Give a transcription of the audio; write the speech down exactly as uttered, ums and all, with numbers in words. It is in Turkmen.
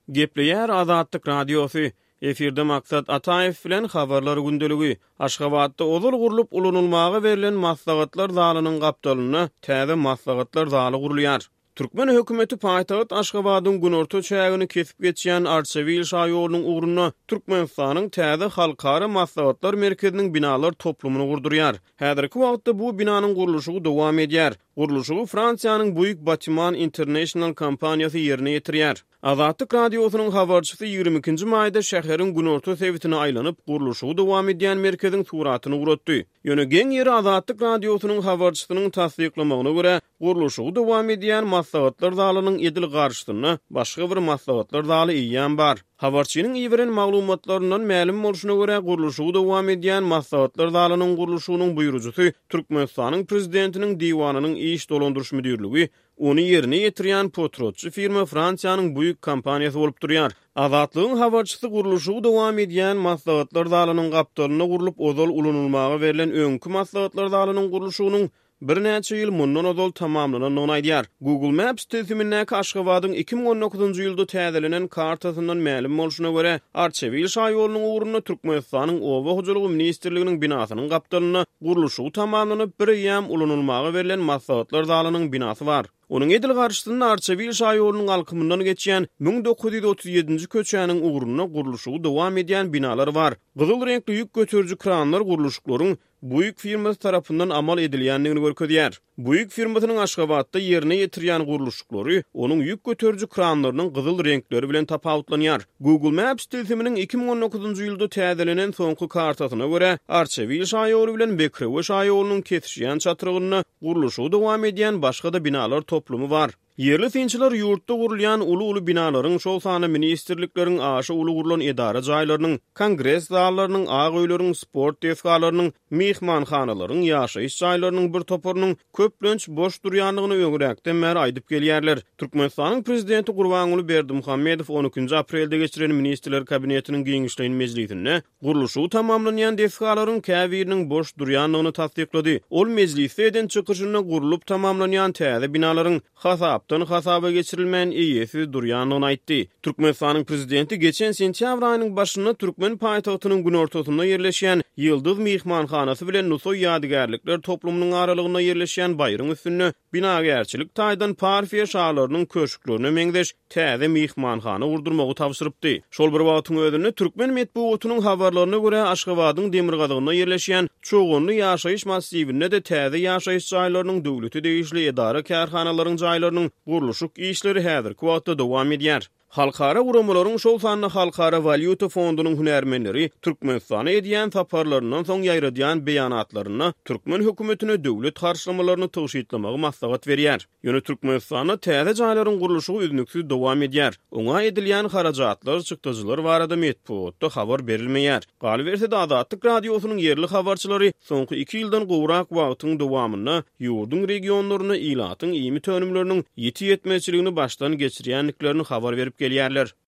Gepleýär Azatlyk Radiosy. Efirde Maksat Ataýew bilen Habarlar gündeligi. Aşgabatda ozal gurlup ulanylmaga berlen maslahatlar zalynyň gapdalynda täze maslahatlar zaly gurulýar. Türkmen hökümeti paýtagt Aşgabadyň günorta çägini kesip geçýän Arçabil şaýolunyň ugrunda Türkmenistanyň täze halkara maslahatlar merkeziniň binalar toplumyny gurdurýar. Häzirki wagtda bu binanyň gurluşygy dowam edýär. Gurluşygy Fransiýanyň Bouygues Bâtiment International kompaniýasy ýerine ýetirýär. Azatlyk Radiosynyň habarçysy ýigrimi ikinji maýda şäheriň günorta sebitine aýlanyp, gurluşygy dowam edýän merkeziň suratyny ugratdy. Ýöne geň ýeri Azatlyk Radiosynyň habarçysynyň tassyklamagyna görä, gurluşygy dowam edýän maslahatlar zalynyň edil garşysynda başga bir maslahatlar zaly eýýäm bar. Habarçynyň iberen maglumatlaryndan mälim bolşuna görä, gurluşygy dowam edýän maslahatlar zalynyň gurluşygynyň buýrujysy Türkmenistanyň prezidentiniň diwanynyň iş dolandyryş müdirligi, ony ýerine ýetirýän potratçy firma Fransiýanyň Bouygues kompaniýasy bolup durýar. Azatlygyň habarçysy gurluşygy dowam edýän maslahatlar zalynyň gapdalynda gurlup ozal ulanylmaga berlen öňki maslahatlar zalynyň gurluşygynyň birnäçe ýyl mundan ozal tamamlanandygyny aýdýar. Google Maps tilsimindäki Aşgabadyň iki müň on dokuzynjy ýylda täzelenen kartasyndan mälim bolşuna görä, Arçabil şaýolunyň ugrunda Türkmenistanyň Oba hojalygy ministrliginiň binasynyň gapdalynda gurluşygy tamamlanyp, bir eýýäm ulanylmaga berlen maslahatlar zalynyň binasy bar. Onuň edil garşysynda Arçabil şaýolunyň alkymyndan geçýän müň dokuz ýüz otuz ýedinji köçäniň ugrunda gurluşygy dowam edýän binalar bar. Gyzyl reňkli ýük göteriji kranlar gurluşyklaryň Bouygues firmasy tarapyndan amal edilýändigini görkezýär. Bouygues firmasynyň Aşgabatda ýerine ýetirýän gurluşyklary onuň ýük göteriji kranlarynyň gyzyl reňkleri bilen tapawutlanýar. Google Maps tilsiminiň iki müň on dokuzynjy ýylda täzelenen soňky kartasyna görä, Arçabil şaýoly bilen Bekrewe şaýolunyň kesişýän çatrygynda gurluşygy dowam edýän başga-da binalar toplumy bar. Ýerli synçylar ýurtda gurulýan uly-uly binalaryň, şol sanda ministrlikleriň, aşa uly gurlan edara jaýlarynyň, kongres zallarynyň, ak öýleriň, sport desgalarynyň, myhmanhanalaryň, ýaşaýyş jaýlarynyň bir toparynyň köplenç boş durýandygyny öňräkden bäri aýdyp gelýärler. Türkmenistanyň prezidenti Gurbanguly Berdimuhamedow on ikinji aprelde geçiren Ministrler Kabinetiniň giňişleýin mejlisinde gurluşygy tamamlanýan desgalaryň käbiriniň boş durýandygyny tassyklady. Ol mejlisde eden çykyşynda gurlup tamamlanýan täze binalaryň hasapdan hasaba geçirilmän eýesiz durýandygyny aýtdy. Türkmenistanyň prezidenti geçen sentýabr aýynyň başynda türkmen paýtagtynyň günortasynda ýerleşýän Ýyldyz myhmanhanasy bilen Nusaý ýadygärlikler toplumynyň aralygynda ýerleşýän baýryň üstünde binagärçilik taýdan Parfiýa şalarynyň köşklerine meňzeş täze myhmanhana gurdurmagy tabşyrypdy. Şol bir wagtyň özünde türkmen metbugatynyň habarlaryna görä Aşgabadyň demirgazygynda ýerleşýän Çoganly ýaşaýyş massiwinde-de täze ýaşaýyş jaýlarynyň döwlete degişli edara kärhanalaryň jaýlarynyň gurluşyk işleri häzirki wagtda dowam edýär. Halkara guramalaryň, şol sanda Halkara walýuta fondunyň hünärmenleri Türkmenistana edýän saparlaryndan soň ýaýradýan beýanatlarynda türkmen hökümetine döwlet harçlamalaryny tygşytlamagy maslahat berýär. Ýöne Türkmenistanda täze jaýlaryň gurluşygy üznüksiz dowam edýär. Oňa edilýän harajatlar, çykdajylar barada metbugatda habar berilmeýär. Galyberse-de Azatlyk Radiosynyň ýerli habarçylary soňky iki ýyldan gowrak wagtyň dowamynda ýurduň regionlarynda ilatyň iýmit önümleriniň ýiti ýetmezçiligini başdan geçirýändiklerini habar berip gelýärler.